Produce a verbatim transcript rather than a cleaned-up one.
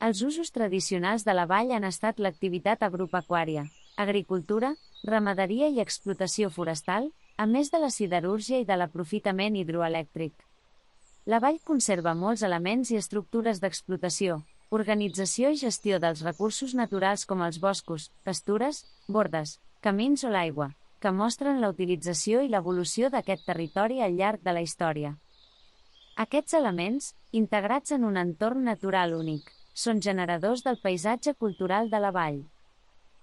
Els usos tradicionals de la vall han estat l'activitat agropecuària, agricultura, ramaderia i explotació forestal, a més de la siderúrgia i de l'aprofitament hidroelèctric. La vall conserva molts elements i estructures d'explotació, organització i gestió dels recursos naturals com els boscos, pastures, bordes, camins o l'aigua, que mostren la utilització i l'evolució d'aquest territori al llarg de la història. Aquests elements, integrats en un entorn natural únic, són generadors del paisatge cultural de la vall.